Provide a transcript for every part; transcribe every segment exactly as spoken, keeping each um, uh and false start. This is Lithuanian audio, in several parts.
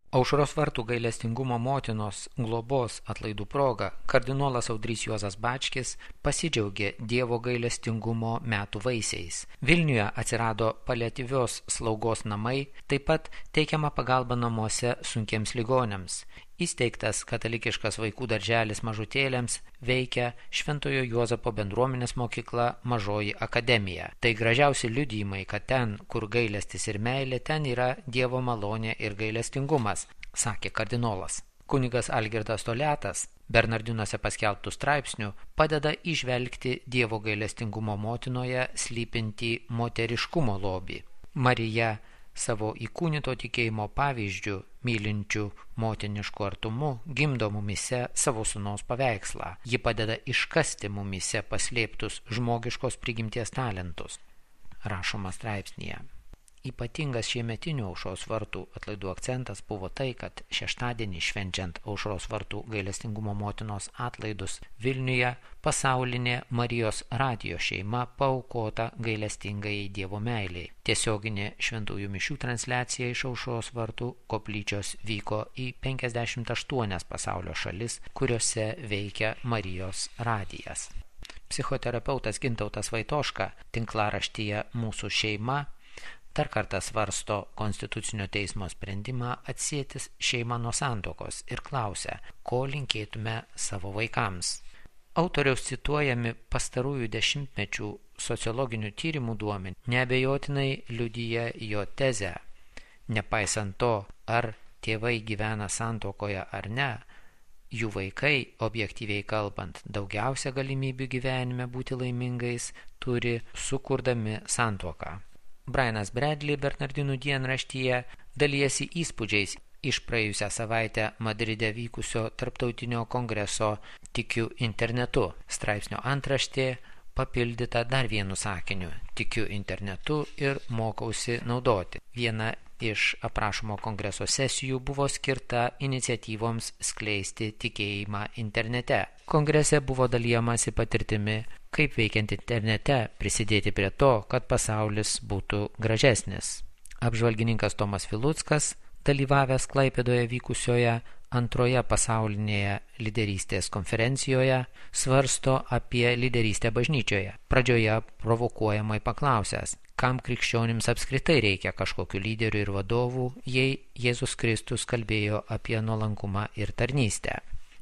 Aušros vartų gailestingumo motinos globos atlaidų proga kardinolas Audrys Juozas Bačkis pasidžiaugė Dievo gailestingumo metų vaisiais. Vilniuje atsirado paliatyvios slaugos namai, taip pat teikiama pagalba namuose sunkiems ligoniams. Įsteigtas katalikiškas vaikų darželis mažutėliams, veikia Šventojo Juozapo bendruomenės mokykla Mažoji akademija. Tai gražiausi liudijimai, kad ten, kur gailestis ir meilė, ten yra Dievo malonė ir gailestingumas, sakė kardinolas. Kunigas Algirdas Toliatas Bernardinuose paskelbtų straipsnių padeda įžvelgti Dievo gailestingumo motinoje slypintį moteriškumo lobį. Marija savo įkūnyto tikėjimo pavyzdžių, mylinčių motinišku artumu, gimdo mumise savo sūnaus paveikslą. Ji padeda iškasti mumise paslėptus žmogiškos prigimties talentus. Rašoma straipsnyje. Ypatingas šiemetinių Aušros vartų atlaidų akcentas buvo tai, kad šeštadienį švenčiant Aušros vartų gailestingumo motinos atlaidus Vilniuje pasaulinė Marijos radijo šeima paaukota gailestingai Dievo meiliai. Tiesioginė šventųjų mišių transliacija iš Aušros vartų koplyčios vyko į penkiasdešimt aštuonias pasaulio šalis, kuriuose veikia Marijos radijas. Psichoterapeutas Gintautas Vaitoška tinklaraštyje Mūsų šeima dar kartą svarsto Konstitucinio teismo sprendimą atsieti šeimą nuo santuokos ir klausia, ko linkėtume savo vaikams. Autoriaus cituojami pastarųjų dešimtmečių sociologinių tyrimų duomenys neabejotinai liudija jo tezę. Nepaisant to, ar tėvai gyvena santuokoje ar ne, jų vaikai, objektyviai kalbant, daugiausia galimybių gyvenime būti laimingais turi sukurdami santuoką. Brianas Bradley Bernardinų dienraštyje dalijasi įspūdžiais iš praėjusią savaitę Madride vykusio tarptautinio kongreso Tikiu internetu. Straipsnio antraštė papildyta dar vienu sakiniu – tikiu internetu ir mokausi naudoti. Viena iš aprašomo kongreso sesijų buvo skirta iniciatyvoms skleisti tikėjimą internete. Kongrese buvo dalijamasi patirtimi, kaip veikiant internete prisidėti prie to, kad pasaulis būtų gražesnis. Apžvalgininkas Tomas Viluckas, dalyvavęs Klaipėdoje vykusioje antroje pasaulinėje lyderystės konferencijoje, svarsto apie lyderystę bažnyčioje. Pradžioje provokuojamai paklausęs, kam krikščionims apskritai reikia kažkokių lyderių ir vadovų, jei Jėzus Kristus kalbėjo apie nuolankumą ir tarnystę.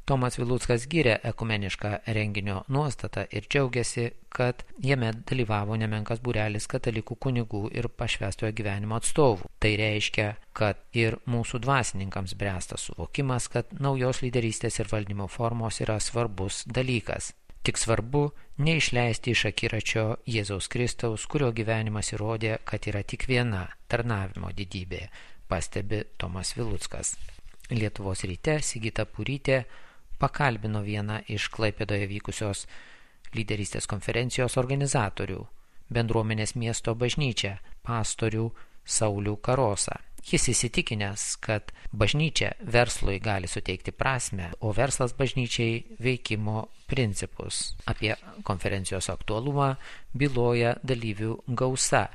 Tomas Viluckas gyrė ekumenišką renginio nuostatą ir džiaugiasi, kad jame dalyvavo nemenkas būrelis katalikų kunigų ir pašvęstojo gyvenimo atstovų. Tai reiškia, kad ir mūsų dvasininkams bręsta suvokimas, kad naujos lyderystės ir valdymo formos yra svarbus dalykas. Tik svarbu neišleisti iš akiračio Jėzaus Kristaus, kurio gyvenimas įrodė, kad yra tik viena tarnavimo didybė, pastebi Tomas Viluckas. Lietuvos ryte Sigita Purytė pakalbino vieną iš Klaipėdoje vykusios lyderystės konferencijos organizatorių, bendruomenės miesto bažnyčią, pastorių Saulių Karosą. Jis įsitikinęs, kad bažnyčia verslui gali suteikti prasmę, o verslas bažnyčiai veikimo principus. Apie konferencijos aktualumą byloja dalyvių gausa.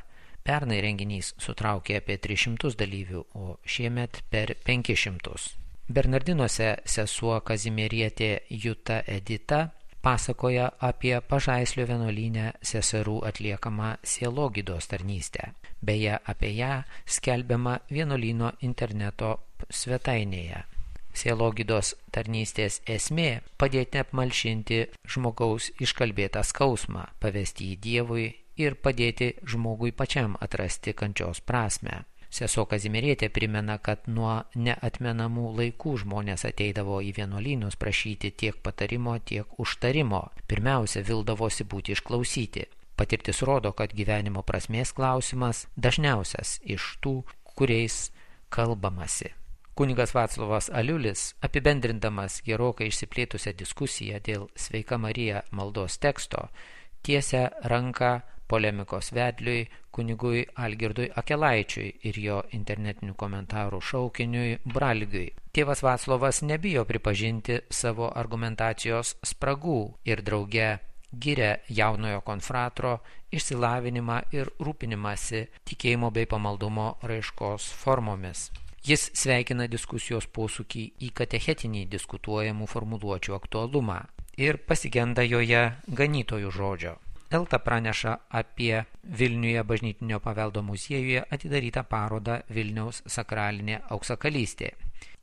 Pernai renginys sutraukė apie tris šimtus dalyvių, o šiemet per penkis šimtus. Bernardinuose sesuo Kazimierietė Juta Edita pasakoja apie Pažaislio vienuolyne seserų atliekamą sielogydos tarnystę. Beje, apie ją skelbiama vienuolyno interneto svetainėje. Sielogydos tarnystės esmė – padėti apmalšinti žmogaus iškalbėtą skausmą, pavesti jį Dievui ir padėti žmogui pačiam atrasti kančios prasmę. Sesuo Kazimierietė primena, kad nuo neatmenamų laikų žmonės ateidavo į vienuolynus prašyti tiek patarimo, tiek užtarimo. Pirmiausia, vildavosi būti išklausyti. Patirtis rodo, kad gyvenimo prasmės klausimas dažniausias iš tų, kuriais kalbamasi. Kunigas Vaclovas Aliulis, apibendrindamas gerokai išsiplėtusią diskusiją dėl Sveika Marija maldos teksto, tiesia ranką polemikos vedliui kunigui Algirdui Akelaičiui ir jo internetinių komentarų šaukiniui Bralgiui. Tėvas Vaclovas nebijo pripažinti savo argumentacijos spragų ir drauge giria jaunojo konfratro išsilavinimą ir rūpinimąsi tikėjimo bei pamaldumo raiškos formomis. Jis sveikina diskusijos posūkį į katechetinį diskutuojamų formuluočių aktualumą ir pasigenda joje ganytojų žodžio. Elta praneša apie Vilniuje bažnytinio paveldo muziejuje atidarytą parodą Vilniaus sakralinė auksakalystė,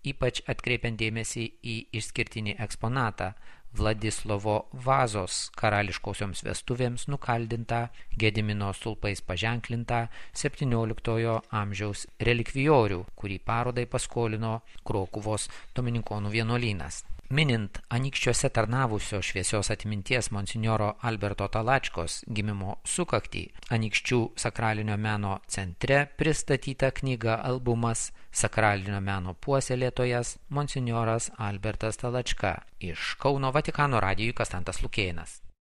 ypač atkreipiant dėmesį į išskirtinį eksponatą Vladislovo Vazos karališkosioms vestuvėms nukaldintą Gedimino stulpais paženklintą septynioliktojo amžiaus relikvijorių, kurį parodai paskolino Krokuvos dominikonų vienuolynas. Minint Anykščiuose tarnavusio šviesios atminties monsinjoro Alberto Talačkos gimimo sukaktį, Anykščių sakralinio meno centre pristatyta knyga albumas Sakralinio meno puoselėtojas monsinjoras Albertas Talačka. Iš Kauno Vatikano radijui Kastantas Lukėnas.